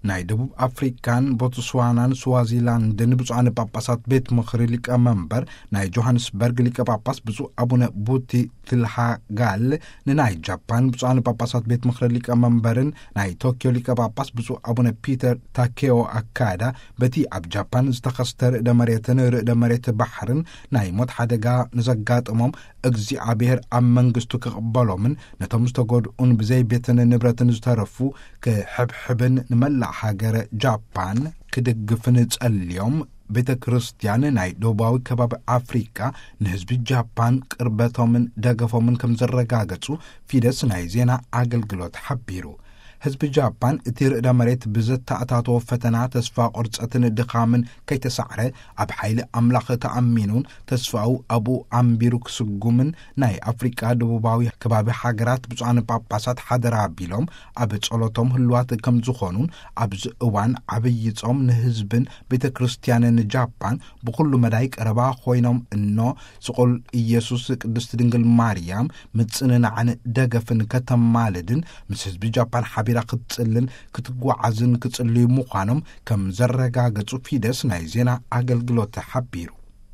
ናይ ደቡብ ኣፍሪካን ቦትስዋናን ስዋዚላንድን ብፁዓን ጳጳሳት ቤት ምኽሪ ሊቀመንበር ናይ ጆሃንስበርግ ሊቀ ጳጳስ ብፁዕ ኣቡነ ቡቲ ትልሃጋል፣ ንናይ ጃፓን ብፁዓን ጳጳሳት ቤት ምኽሪ ሊቀመንበርን ናይ ቶኪዮ ሊቀ ጳጳስ ብፁዕ ኣቡነ ፒተር ታኬዮ ኣካዳ፣ በቲ ኣብ ጃፓን ዝተኸስተ ርእደ መሬትን ርእደ መሬት ባሕርን ናይ ሞት ሓደጋ ንዘጋጠሞም እግዚኣብሔር ኣብ መንግስቱ ክቕበሎምን ነቶም ዝተጎድኡን ብዘይ ቤትን ንብረትን ዝተረፉ ክሕብሕብን ንመላእ ሃገረ ጃፓን ክድግፍን ጸልዮም፣ ቤተ ክርስቲያን ናይ ደቡባዊ ከባቢ ኣፍሪካ ንህዝቢ ጃፓን ቅርበቶምን ደገፎምን ከም ዘረጋገጹ ፊደስ ናይ ዜና ኣገልግሎት ሓቢሩ። ህዝቢ ጃፓን እቲ ርእደ መሬት ብዘተኣታተዎ ፈተና፣ ተስፋ ቁርጸትን ድኻምን ከይተሳዕረ፣ ኣብ ሓይሊ ኣምላኽ ተኣሚኑን ተስፋኡ ኣብኡ ኣንቢሩ ክስጉምን፣ ናይ ኣፍሪቃ ደቡባዊ ከባቢ ሃገራት ብፁዓን ጳጳሳት ሓደራ ኣቢሎም ኣብ ጸሎቶም ህልዋት ከም ዝኾኑን፣ ኣብዚ እዋን ዓብዪ ጾም ንህዝብን ቤተ ክርስቲያንን ጃፓን ብኹሉ መዳይ ቀረባ ኮይኖም እኖ፣ ስቑል ኢየሱስ፣ ቅድስት ድንግል ማርያም ምጽንናዕን ደገፍን ከተማልድን ምስ ህዝቢ ጃፓን ሓቢራ ክትጽልን ክትጓዓዝን ክጽልዩ ምዃኖም ከም ዘረጋገጹ ፊደስ ናይ ዜና ኣገልግሎት ሓቢሩ።